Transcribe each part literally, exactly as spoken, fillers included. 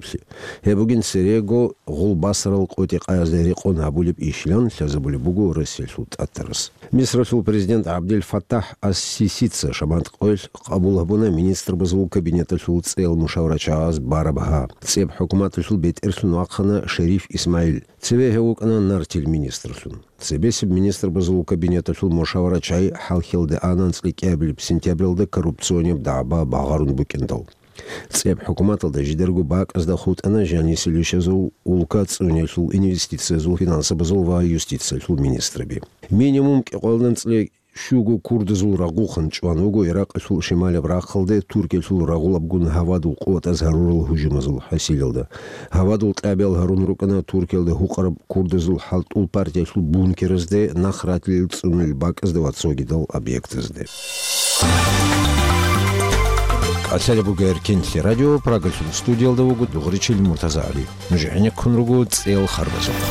бугеблъи. Гьеб бугин церего гъулбасарал къотӀи-къаязда рекъон гьабулеб ишилан лъазабулеб буго Россиялъул тӀатарас. Мисралъул президент ГӀабдел Фаттахь ас-Сисица шамат къоялъ къабул гьабуна министрбазул кабинеталъул цӀел мушаварачагъаз бараб гьа. ЦӀеб хӀукуматалъул бетӀерлъун вахъана Шериф ИсмагӀил. Цеве гьев вукӀана нартил министрлъун. Цебесеб министрбазул кабинеталъул мушаварачагӀи хӀалхьалде ана анцӀила кӀиабилеб сентябралда коррупционияб дагӀба багъарун букӀиндал. ЦӀеб хӀукуматалда жидерго бакӀазда хутӀана жанисел ишазул, улка цӀуниялъул, инвестициязул, финансабазул ва юстициялъул министрби. Минимум кӀикъоялда анцӀила щуго курдазул рагъухъан чӀван вуго Иракъалъул шималаб рахъалде Туркиялъул рагъулабгун гьавадул къуватаз гьарурал гьужумазул хӀасилалда. Гьавадул кьабиял гьарун рукӀана Туркиялда гьукъараб курдазул хӀалтӀул партиялъул бункеразде, нахратилел цӀунулел бакӀазда ва цогидал объектазде. КӀалъалеб буго Эркинлъи радио, Прагалъул студиялда вуго дугъричил Муртаза ГӀали. Нуж гӀенеккун руго цӀел харбазухъ.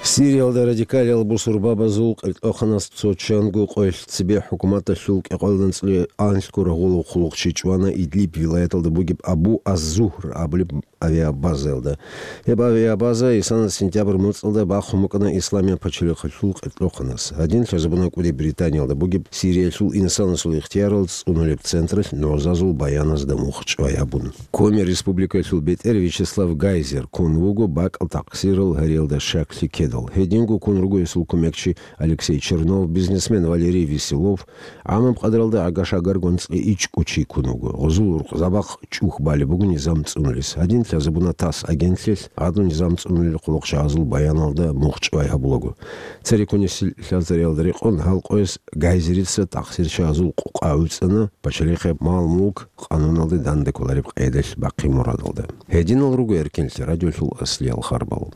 Сириялда радикалиял бусурбабазул къеркьоханас цо чанго къоялъ цебе хӀукуматалъул кӀикъоялда анцӀила анлъго рагъулав хъулухъчи чӀвана Идлиб вилаяталда бугеб Абу аз-Зугьр абулеб авиабазаялда. Гьеб авиабаза исана сентябрь муцӀалда бахъун букӀана Исламияб пачалихъалъул къеркьоханас. Гьадин лъазабуна кӀуди Британиялда бугеб Сириялъул инсанасул ихтиярал цӀунулеб централъ нугӀзазул баяназда мухъ чӀвай гьабун. Коми Республикалъул бетӀер Вячеслав Гайзер ккун вуго бакӀал такъсирал гьариялда щаклъи ккедал. Гьединго ккун руго гьесул кумекчи Алексей Чернов, бизнесмен Валерий Веселов, гӀамаб къадаралда гӀагашагарго анцӀила ичӀго чи ккун вуго. Гъозул рукъзабахъ чӀухь балеб буго низам цӀунулес. Гьадин лъазабуна ТАСС агентлъиялъ гӀадлу низам цӀунулел хъулухъчагӀазул баяналда мухъ чӀвай гьабулаго. Цереккунесил лъазариялда рекъон гьал къояс Гайзерица такъсирчагӀазул къукъа гӀуцӀана, пачалихъе мал-мулк къануналде данде кколареб къайдалъ бахъи мурадалда. Гьединал руго Эркинлъи радиолъул аслиял харбал.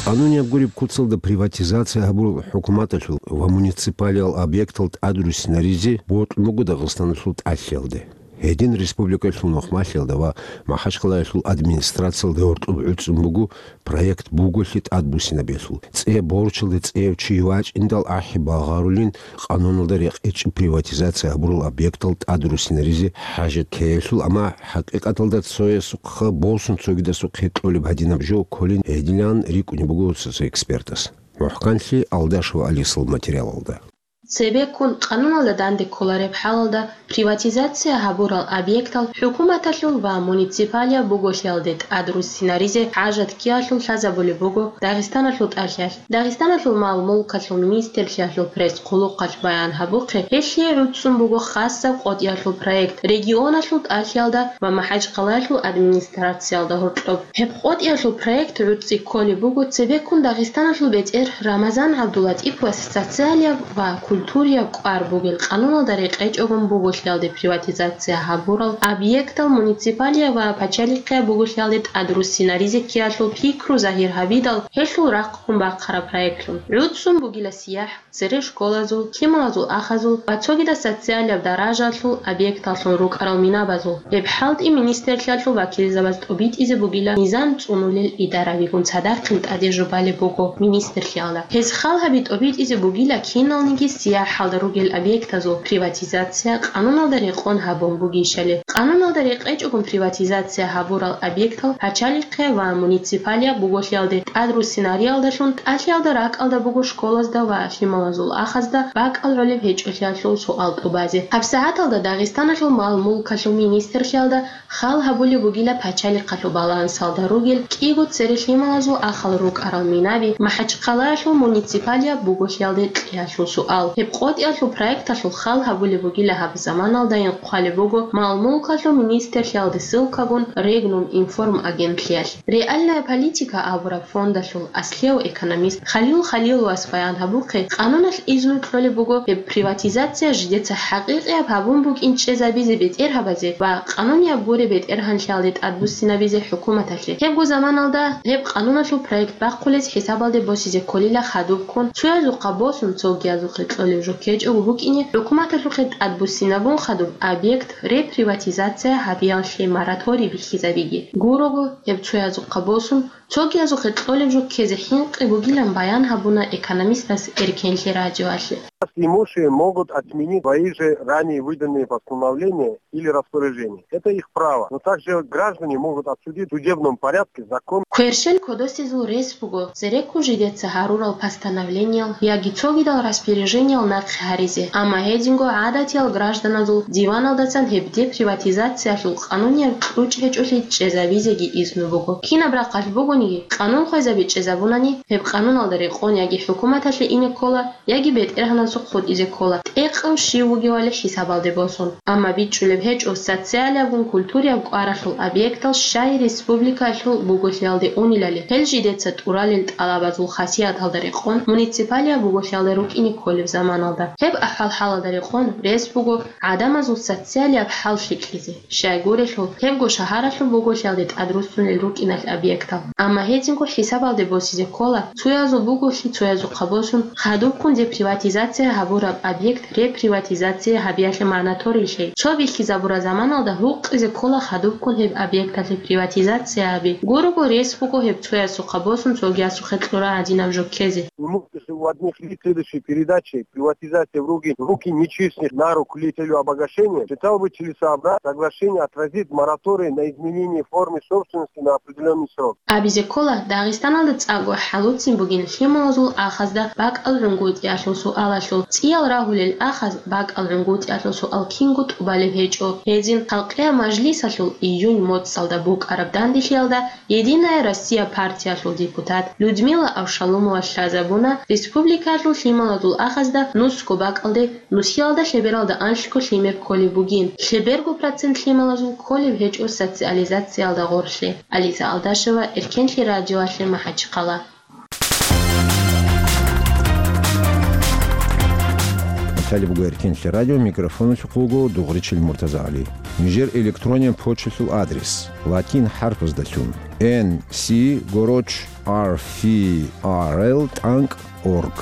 Къанунияб гуреб куцалда приватизация гьабурал хӀукуматалъул ва муниципалиял объектал тӀадруссинаризе бокьун буго Дагъистаналъул тӀалъиялде. Гьедин республикалъул нухмалъиялда ва Махачкалаялъул администрациялда гьоркьоб гӀуцӀун буго проект буголъи тӀадбуссинабиялъул. ЦӀе борчалда цӀеяв чи вачӀиндал ахӀи багъарулин, къануналда рекъечӀеб приватизация гьабурал объектал тӀадруссинаризе хӀажат ккеялъул, амма хӀакъикъаталда цоясухъа босун цогидасухъе кьолеб гьадинаб жо кколин гьедилан рикӀкӀунеб буго цо-цо экспертас. МухӀканлъи Алдашев Алисал материалалда. Цебеккун, къануналда данде кколареб хӀалалда, приватизация гьабурал объектал хӀукуматалъул ва муниципалияб буголъиялде тӀад руссинаризе хӀажат ккеялъул лъазабулеб буго Дагъистаналъул тӀалъиялъ. Дагъистаналъул мал-мулкалъул министрлъиялъул пресс-хъулухъалъ баян гьабухъе, гьелъие гӀуцӀцӀун буго хасаб къотӀиялъул проект регионалъул тӀалъиялда ва МахӀачхъалаялъул администрациялда гьоркьоб. Гьеб къотӀиялъул проект гӀуцӀи кколеб буго цебеккун Дагъистаналъул бетӀер Рамазан ГӀабдулатӀиповас социалияб ва культурияб кӀвар бугел къануналда рекъечӀогун буголъиялде приватизация гьабурал объектал муниципалияб ва пачалихъияб буголъиялде тӀад руссинаризе ккеялъул пикру загьир гьабидал, гьелъул рахъ гьун бахъараб проектлъун. ГӀуцӀцӀун бугила сияхӀ, цере школазул, лъималазул ахазул ва цогидаб социалияб даражалъул объекталлъун рукӀарал минабазул. Гьеб хӀалтӀи министрлъиялъул вакилзабаз тӀобитӀизе бугила мизан цӀунулел идаравигун цадахъин тӀаде жубалеб буго министрлъиялда. Гьез хал гьаби тӀобитӀизе бугила киналниги сияхӀалда ругел объектазул приватизация къануналда рекъон гьабун бугищали. Къануналда рекъечӀогун приватизация гьабурал объектал пачалихъе ва муниципалияб буголъиялде тӀад руссинариялдалъун тӀалъиялда ракӀалда буго школазда ва лъималазул ахазда бакӀал гӀолеб гьечӀолъиялъул суал тӀубазе. ГьабсагӀаталда Дагъистаналъул мал-мулкалъул министрлъиялда хал гьабулеб бугила пачалихъалъул балансалда ругел кӀиго цере лъималазул ахал рукӀарал минаби МахӀачхъалаялъул муниципалияб буголъиялде кьеялъул суал. Гьеб къотӀиялъул проекталъул хал гьабулеб бугила гьаб заманалдайин хъвалеб буго мал-мулкалъул министрлъиялде ссылкагун Регнум информ агентлъиялъ. Реальная политика абураб фондалъул аслияв экономист Халил Халиловас баян гьабухъе, къануналъ изну кьолеб буго гьеб приватизация жидеца хӀакъикъияб гьабун букӀин чӀезабизе бетӀергьабазе ва къанунияб гуреб бетӀергьанлъиялде тӀадбуссинабизе хӀукуматалъе. Гьебго заманалда гьеб къануналъул проект бахъулез хӀисабалде босизе кколила хадубккун, цоязухъа босун цогиязухъе кьолеб жо ккечӀого букӀине, хӀукуматалъухъе тӀадбуссинабун хадуб объект реприватизация гьабиялъе мораторий бихьизабиги. Гурого, гьеб цоязухъа босун, цогиязухъе кьолеб жо ккезе хӀинкъи бугилан баян гьабуна экономистас Эркенлъи радиоялъе. Имущие могут отменить свои же ранее выданные постановления или распоряжения. Это их право. Но также граждане могут обсудить в судебном порядке закон. Кверщел кодосезул рес буго, цереккун жидеца гьарурал постановлениял яги цогидал распоряжениял нахъе гьаризе, амма гьединго гӀадатиял гражданазул диваналдасан гьеб деприватизациялъул къанунияб кьучӀ гьечӀолъи чӀезабизеги изну буго. Кинаб рахъалъ бугониги, къанун хвезаби чӀезабунани, гьеб къануналда рекъон яги хӀукуматалъе ине ккола, яги бетӀергьанасухъ хутӀизе ккола, тӀекъав щив вугевали хӀисабалде босун. Амма бичӀчӀулеб гьечӀо социалиябгун культурияб кӀваралъул объектал щай республикалъул буголъиялде унилали, гьел жидеца тӀуралел тӀалабазул хасияталда рекъон муниципалияб буголъиялда рукӀине кколеб заманалда. Гьеб ахӀвал-хӀалалда рекъон рес буго гӀадамазул социалияб хӀал лъикӀлъизе. Щайгурелъул, гьебго шагьаралъул буголъиялде тӀадруссунел рукӀиналъ объектал. Амма гьединго хӀисабалде босизе ккола, цоязул буголъи цоязухъа босун, хадубккун деприватизация гьабураб объект реприватизация гьабиялъе манаторийлъи. Цо бихьизабураб заманалда гьукъизе ккола хадубккун гьеб объекталъе приватизация гьаби. Гурого рес буго гьеб цоясухъа босун цогиясухъе кьура гьадинаб жо ккезе. Имущество у одних лиц следующей передачи, приватизация в руки, в руки нечестных на руку лиц с целью обогащения, считал бы целесообразным соглашение отразить мораторий на изменение формы собственности на определённый срок. Абизе ккола, Дагъистаналда цӀакъго хӀалуцин бугин лъималазул ахазда бакӀал гӀунгутӀиялъул суалалъул. ЦӀиял рагьулел ахаз бакӀал гӀунгутӀиялъул суал кинго тӀубалеб гьечӀо. Гьезин халкъияб мажлисалъул июнь моцӀалда букӀараб данделъиялда «Единая Россия» партиялъул депутат Людмила Авшалумова лъазабуна республикалъул лъималазул ахазда нусго бакӀалде нусиялда лъебералда анлъго лъимер кколеб бугин, лъеберго процент лъималазул кколеб гьечӀо социализациялда гъорлъе. Ализа Алдашева, Эркенлъи радиоялъе, МахӀачхъала. Талиб буго Эркенлъи радио, микрофоналъухъ вуго Дугъричил МуртазагӀали. Нижер электронен почталъул адрес: латин хӀарпаздалъун, N C гороч R F R L тӀанкӀ org.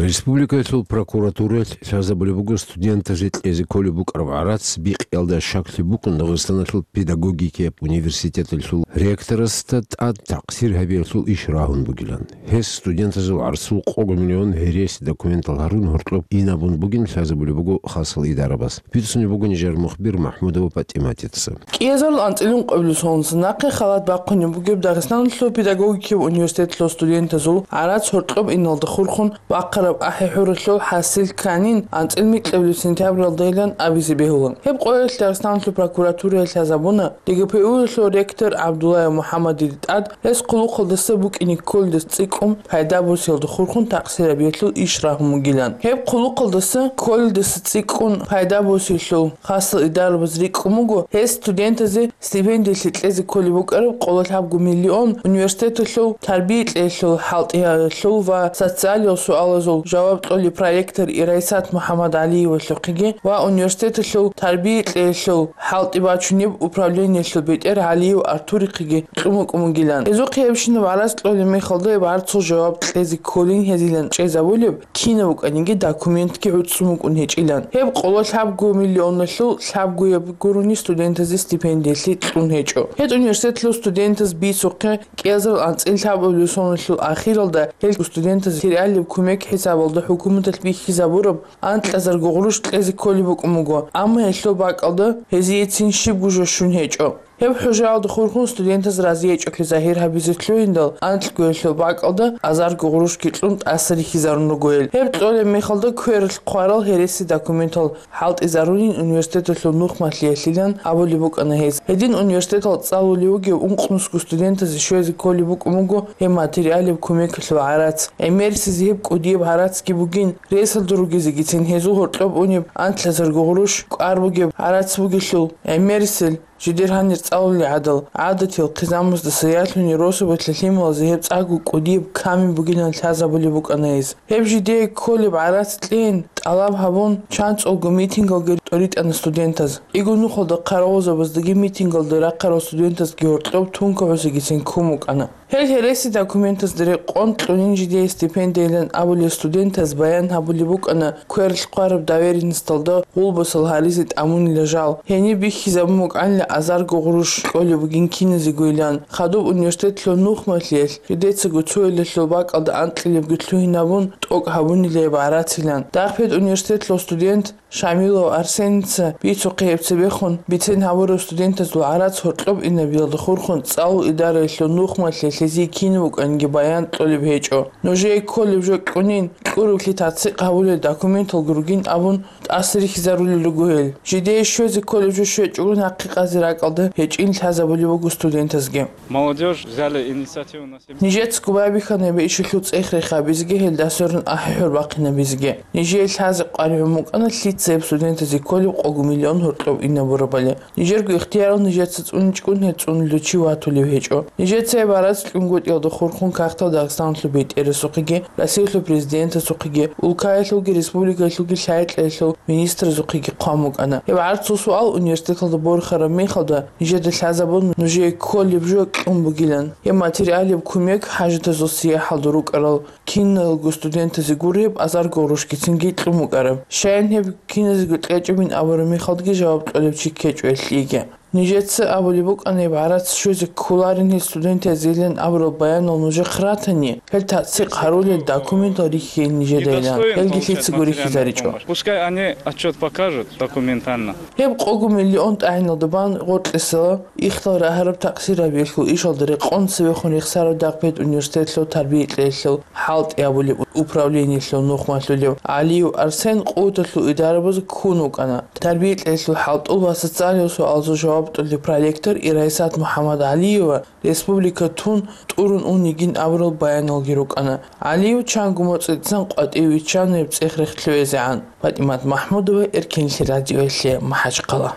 Республикаялъул прокуратураялъ лъазабулеб буго студентазе кьезе кколеб букӀараб гӀарац бикъиялда щаклъи букӀун Дагъистаналъул педагогикияб университеталъул ректорасда тӀад такъсир гьабиялъул иш рагьун бугилан. Гьес студентазул гӀарцул къого миллион гьереси документал гьарун гьоркьоб инабун бугин лъазабулеб буго хасал идарабас. Бицунеб буго нижер мухбир МахӀмудова ПатӀиматица. КӀиазарул анцӀила ункъабилеб соналдаса нахъе халат бахъунеб бугеб Дагъистаналъул педагогикияб университеталъул студентазул гӀарац гьоркьоб иналда хурхун бахъараб ахӀи-хӀуралъул хӀасил кканин анцӀила микьабилеб сентябралдайилан абизе бегьулан. Гьеб къоялъ Дагъистаналъул прокуратуралъ лъазабуна ДГПУ-ялъул ректор ГӀабдуллаев МухӀаммадил тӀад гьес хъулухъалдаса букӀине кколелдаса цӀикӀкӀун пайда босиялда хурхун такъсир гьабиялъул иш рагьун бугилан. Гьеб хъулухъалдаса кколелдаса цӀикӀкӀун пайда босиялъул хасал идарабаз рикӀкӀун буго гьес студентазе стипендиялъе кьезе кколеб букӀараб къоло лъабго миллион университеталъул тарбия кьеялъул, хӀалтӀиялъул ва социалиял суалазул жаваб кьолеб проректор Ирайсат МухӀаммадгӀалиевалъухъеги ва университеталъул тарбия кьеялъул хӀалтӀи бачунеб управлениялъул бетӀер ГӀалиев Артурихъеги кьун букӀун бугилан. Гьезухъе гьебщинаб гӀарац кьолеб мехалда гьеб гӀарцул жаваб кьезе кколин гьезилан чӀезабулеб кинаб букӀаниги документги гӀуцӀцӀун букӀун гьечӀилан. Гьеб къоло лъабго миллионалъул лъабгояб гурони студентазе стипендиялъе кьун гьечӀо. Гьеб университеталъул студентаз бицухъе кӀиазарул анцӀила лъабабилеб соналъул ахиралда гьел студентазе тералеб кумек хӀисабалда хӀукуматалъ бихьизабураб анкьазарго гъурущ кьезе кколеб букӀун буго, амма гьелъул бакӀалда гьезиецин щибго жо щун гьечӀо. Гьеб хӀужаялда хурхун студентаз разиячӀухъе загьир гьабизе лъугьиндал, анкьго гьелъул бакӀалда азарго гъурущги кьун тӀаса рихьизарун руго гьел. Гьеб кьолеб мехалда квералъ хъварал гьереси документал хӀалтӀизарунин университеталъул нухмалъиялъилан абулеб букӀана гьез. Гьедин университетал цӀалулев вугев ункънусго студентазе щвезе кколеб букӀун буго гьеб материалеб кумекалъул гӀарац. ГӀемерисезе гьеб кӀудияб гӀарацги бугин, ресалда ругезегицин гьезул гьоркьоб унеб анкьазарго гъурущ кӀвар бугеб гӀарац бугелъул, гӀемерисел жидер гьанир цӀалулел гӀадал, гӀадатиял хъизамаздаса ялъуни росабалъа лъималазе гьеб цӀакъго кӀудияб камин бугилан лъазабулеб букӀана гьез. Гьеб жидее кколеб гӀарац кьейин тӀалаб гьабун, чанцӀулго митингалги тӀоритӀана студентаз. Иго нухалда хъаравулзабаздаги митингалда рахъарал студентазги гьоркьоб тункагӀусегицин ккун букӀана. Гьел гьереси документазда рекъон кьунин жидее стипендиялъилан абулел студентаз баян гьабулеб букӀана квералъ хъвараб доверенносталда гъулбасал гьаризе тӀамунила жал. Гьениб бихьизабун букӀанила азарго гъурущ кьолеб бугин киназегойилан, хадуб университетлъул нухмалъиялъ жидецаго цоялъул бакӀалда анкьилебги лъугьинабун тӀокӀ гьабунила гьеб гӀарацилан. Дагъ пед университетлъул студент Шамилов Арсеница бицухъе гьеб цебехун бицен гьабураб студентазул гӀарац гьоркьоб инабиялда хурхун цӀалул идараялъул нухмалъиялъ гьезие кинаб букӀаниги баян кьолеб гьечӀо. Нужее кколеб жо кьунин, кьурулъи тацикъ гьабулел документалги ругин абун тӀаса рихьизарулел руго гьел. Жидее щвезе кколеб жо щвечӀого нахъе къазе ракӀалда гьечӀин лъазабулеб буго студентазги. Молодёжь взяли инициативу на Нижецаго байбихьана гьеб ишалъул цӀех-рех гьабизеги гьелда сверун ахӀи-хӀур бахъинабизеги. Нижее лъазе къваригӀун букӀана лъица гьеб студентазе кколеб къого миллион гьоркьоб инабурабали. Нижерго ихтиярал нижеца цӀуничӀгун гьеб цӀунулев чи ватулев гьечӀо. Нижеца гьеб гӀарац кьунгутӀиялда хурхун кагътал Дагъистаналъул бетӀерасухъеги, Россиялъул президентасухъеги, улкаялъулги республикаялъулги лъай-кьеялъул министразухъеги хъван букӀана. Гьеб гӀарцул суал университеталда борхараб мехалда, нижеда лъазабун нужее кколеб жо кьун бугилан. Гьеб материалеб кумек хӀажатазул сияхӀалда рукӀарал киналго студентазе гуреб азарго гъурущгицинги кьун букӀараб. Щайин гьеб киназего кьечӀебин абураб мехалдаги жаваб кьолеб чи ккечӀо гьелъиеги. Нижеца абулеб букӀана гьеб гӀарац щвезе кколарин гьел студентазейилан абурал баянал нужехъ ратани, гьел тацикъ гьарулел документал рихьейин нижедайилан, гьелги лъицаго рихьизаричӀо. Пускай они отчёт покажут документально. Гьеб къого миллион тӀагӀиналда бан гъоркьесала ихтал рагьараб такъсир гьабиялъул ишалда рекъон цевехун рехсарав дагъ пед университетлъул тарбия кьеялъул хӀалтӀи абулеб управлениялъул нухмалъулев ГӀалиев Арсен къуваталъул идарабазе ккун вукӀана. Тарбия кьеялъул хӀалтӀул ва социалиял суалазул жаваб кьолев проректор Ирайсат МухӀаммадгӀалиева республика тун тӀурун ун йигин абурал баяналги рукӀана. ГӀалиев чанго моцӀидасан къватӀиве виччана гьеб цӀех-рех лъугӀизегӀан. ПатӀимат МахӀмудова, Эркенлъи радиоялъе, МахӀачхъала.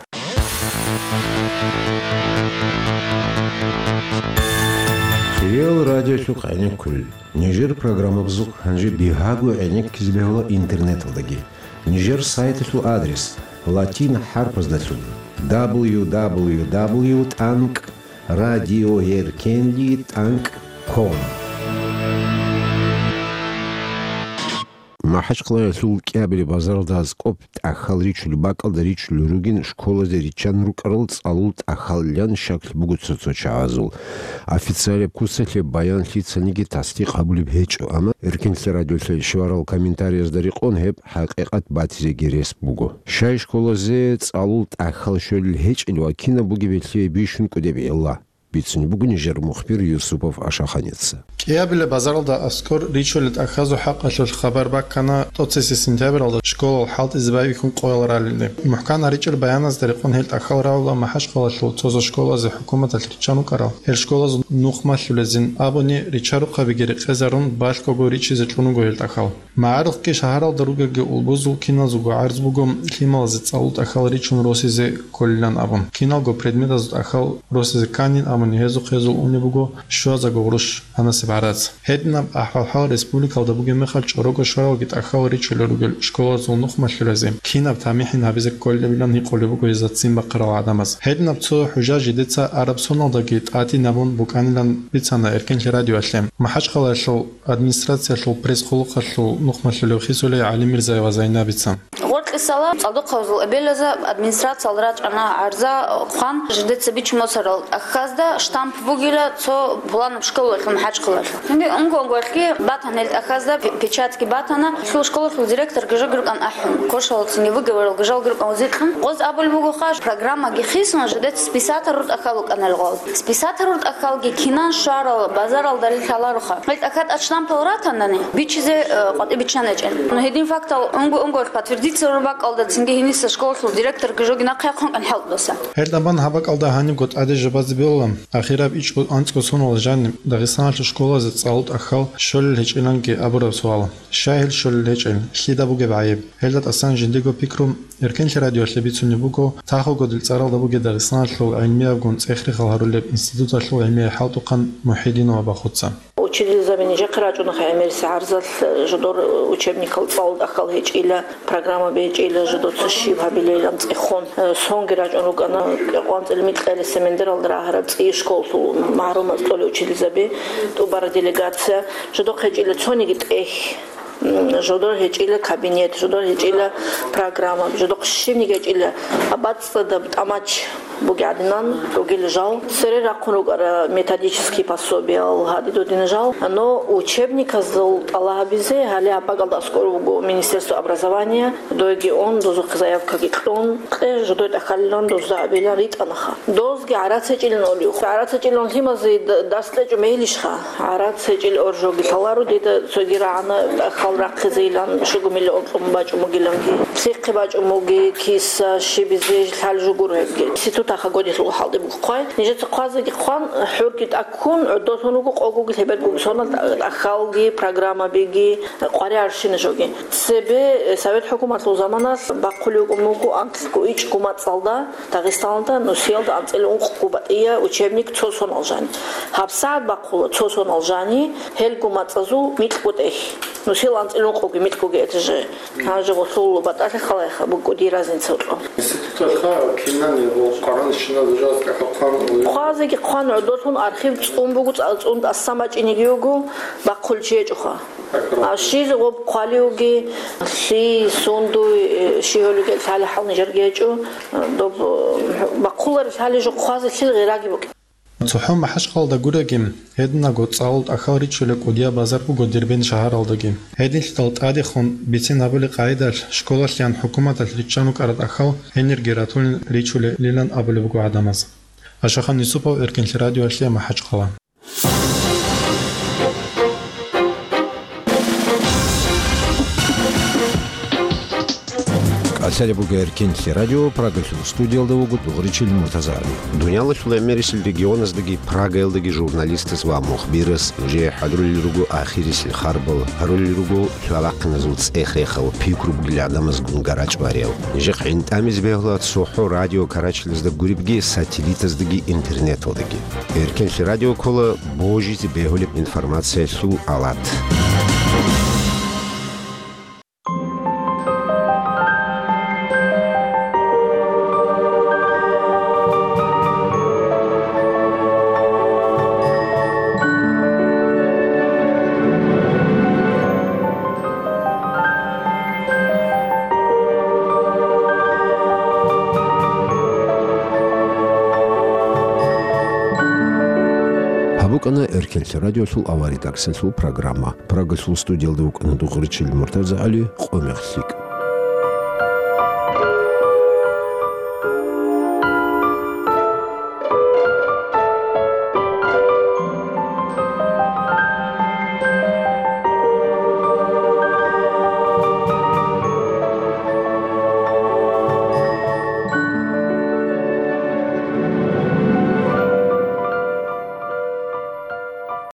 Кирилл радиолъухъ гӀенеккулел. Нижер программабазухъ гьанже бигьаго гӀенеккизе бегьула интернеталдаги. Нижер сайталъул адрес латин хӀарпаздалъун: дабл ю дабл ю дабл ю тӀанкӀ радиоэркенли тӀанкӀ ком. МахӀачхъалаялъул КӀиабилеб базаралда аскӀоб тӀахьал ричулеб бакӀалда ричулел ругин школазе риччан рукӀарал цӀалул тӀахьалилан щаклъи буго цо-цо чагӀазул. Официалаб куцалъе баян лъицаниги тасдикъ гьабулеб гьечӀо, амма Эркенлъи радиолъе щварал комментариязда рекъон гьеб хӀакъикъат батизеги рес буго. Щай школазе цӀалул тӀахьал щолел гьечӀел ва кинаб бугеб гьелъие бищун кӀудеб гӀилла? Бицунеб буго нижер мухбир Юсупов Ашаханица. КӀиабилеб базаралда аскӀор ричулел тӀахьазул хӀакъалъулъ хабар баккана тӀоцесеб сентябралда школал хӀалтӀизе байбихьун къоял ралелде. МухӀкан гьаричӀел баяназда рекъон гьел тӀахьал рагӀула МахӀачхъалаялъул цо-цо школазе хӀукуматалъ риччан рукӀарал, гьел школазул нухмалъулезин абуни ричарухъабиги рекъезарун балъгого ричизе чӀун руго гьел тӀахьал. МагӀарухъги шагьаралда ругелги улбузул киназулго гӀарз буго лъималазе цӀалул тӀахьал ричун росизе кколилан абун. Киналго предметазул тӀахьал росизе кканин абуни гьезухъ гьезул унеб буго щуазарго гъурущ гьанасеб гӀарац. Гьединаб ахӀвал-хӀал республикалда бугеб мехалъ чӀорого щваралги тӀахьал ричулел ругел школазул нухмалъулазе кинаб тамихӀин гьабизе кколебилан гьикъулеб буго гьезда ццин бахъарал гӀадамаз. Гьединаб цо хӀужа жидеца араб соналдаги тӀадин абун букӀанилан бицана Эркенлъи радиоялъе. МахӀачхъалаялъул администрациялъул пресс-къулухъалъул нухмалъулев Хисулей ГӀалимирзаева Зайнабица. Гъоркьисала цӀалдохъабазул эбелазда администрациялда рачӀана гӀарза хъван, жидеца бичун босарал тӀахьазда штамп бугила цо пуланаб школалъул МахӀачхъалаялъул. Цинги унго-унгоялъги батана гьел тӀахьазда, пе-, печатьги батана. Лъул школалъул директорги жоги рукӀана ахӀун, кошалъ цинги вугеваралги жалги рукӀана вузикьун. Гъоз абулеб бугоха, программаги хисун, жидеца списатор рутӀа хьал вукӀана гъоз. Списатор рутӀа хьалги кинан щварал, базаралда лъалароха. Гьел тӀахьа тӀад штампал ратанани, бичизе, э, къватӀиб биччан гьечӀел. Ну, гьедин фактал унго-унгоялъ подтвердиться рурбакӀалда цинги гьениса школалъул директорги жоги нахъе хъван кӀан хӀалтӀбаса. Гьел тӀаман гьаб бакӀалда гьанибго тӀаде жо базе бегьула, ахираб ичӀго анцӀго соналъ жаниб Дагъистаналъул школазе цӀалул тӀахьал щолел гьечӀиланги абураб суал. Щай гьел щолел гьечӀел? Лъида бугеб гӀайиб? Гьелда тӀасан жиндиего пикру Эркенлъи радиоялъе бицунеб буго Тахо-Годил цӀаралда бугеб Дагъистаналъул гӀилмиябгун цӀех-рехал гьарулеб институталъул гӀилмияй хӀалтӀухъан МухӀидинова Бахуца. Учительзаби нижехъе рачӀунаха гӀемерисеб гӀарзал, жодор учебникал цӀалул тӀахьал гьечӀила, программа бечӀила, жодоца щиб гьабилейилан цӀехун, э, сонги рачӀун рукӀана, кьекъон цӀилмикьали семендералда рагьараб цӀи школалъул магӀарумаз кьолел учительзаби, тӀубараб делегация, жодохъ гьечӀила цониги тӀехь. М, жодор гьечӀила кабинет, жодор гьечӀила программа, жодохъ щибниги гьечӀила, бацӀцӀадаб тӀамач бугеб гӀадинан ругел жал. Цере рахъун рукӀара методический пособиял, гьадин-додин жал. Но учебниказул тӀалаб гьабизе гьале гьаб бакӀалда аскӀор вуго Министерство образования, дойги ун, дозухъе заявкаги кьун, кье жодой тӀахьалилан дозда абилан ритӀанаха. Дозги гӀарац гьечӀилан олев. ГӀарац гьечӀилан лъимазе д-, дарс кьечӀо мегьилищха? ГӀарац гьечӀел оржоги лъаларо дида, цоги рагӀана тӀахьал рахъизейилан, щуго миллион кьун бачӀун бугиланги. Лъихъе бачӀун буги, киса, щибизе, лъал жугур гьебги. Институт аха годилъул хӀалтӀи буго хъвай. Нижеца хъвазеги хъван, хӀурги тӀаккун, гӀодолъун руго къогоги лъебергоги сонал тӀа-, тӀахьалги, программабиги, къваригӀарщина жоги. Цебе, э, Совет хӀукуматалъул заманалъ бахъулев вукӀун буго анкьго ичӀго мацӀалда, Дагъистаналда нусиялда анцӀила ункъго батӀия учебник цо сонал жани. ГьабсагӀат бахъула цо сонал жани, гьелго мацӀазул микьго тӀехь. Нусил анцӀила ункъоги микьгоги этажи. Гьанже гъолъул батӀалъи халайха, букӀуди разница вукьун. Институталъа кинани ва къваран щинал жал тӀахьал хъван. Хъвазеги хъван гӀодолъун архив цӀун буго, цӀа-, цӀун тӀасан бачӀинеги йиго, бахъулев чи гьечӀоха. А щизе гъоб хъвалиуги, лъи, сундуй, э, щи гьолиги лъали хӀал нижерги гьечӀо, э, доб, э, бахъулареб лъали жо хъвазе лъил гъираги букӀин. ЦохӀо МахӀачхъалада гуреги, гьединаго цӀалул тӀахьал ричулеб кӀудияб базар буго Дербент шагьаралдаги. Гьединлъидал тӀадехун бицен гьабулеб къагӀидалъ школалъеян хӀукуматалъ риччан рукӀарал тӀахьал гьенирги ратулин ричулелилан абулеб буго гӀадамаз. Ашахан Юсупов, Эркенлъи радиоялъе, МахӀачхъала. КӀалъалеб буго Эркенлъи радио, Прагалъул студиялда вуго дугӀричил Муртазаби. Дуниялалъул гӀемерисел регионаздаги Прагаялдаги журналистас ва мухбирас нужее хӀадурулел руго ахирисел харбал, гьарулел руго лъалахъиназул цӀех-рехал, пикру бугел гӀадамазгун гарачӀ ва рел. Нижехъ гӀинтӀамизе бегьула ЦохӀо радио Карачилазда гуребги, сателлитаздаги интернеталдаги. Эркенлъи радио ккола божизе бегьулеб информациялъул алат. Эркенлъи радиолъул авария дарсалъул программа. Прагалъул студиялда вукӀана дугъричил МуртазагӀали, къо-мех лъикӀ.